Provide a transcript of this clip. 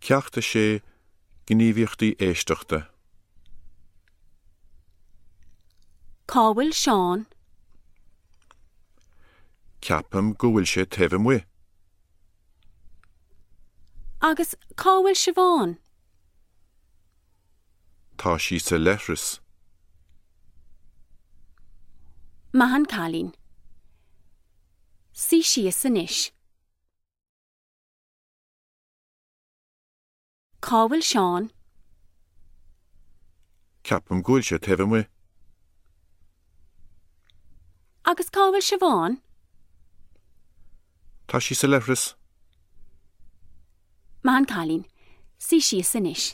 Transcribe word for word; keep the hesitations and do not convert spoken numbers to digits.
Ceacht a sé gníomhaíochtaí éisteachta. Cá bhfuil Seán? Ceapaim go bhfuil sé taobh amuigh. Agus cá bhfuil Siobhán? Tá sí sa leithreas. Maith an cailín. Suigh síos anois. Cá bhfuil Seán? Ceapaim go bhfuil sé taobh amuigh. Agus cá bhfuil Siobhán? Tá sí sa leithreas. Maith an cailín. Suigh síos anois.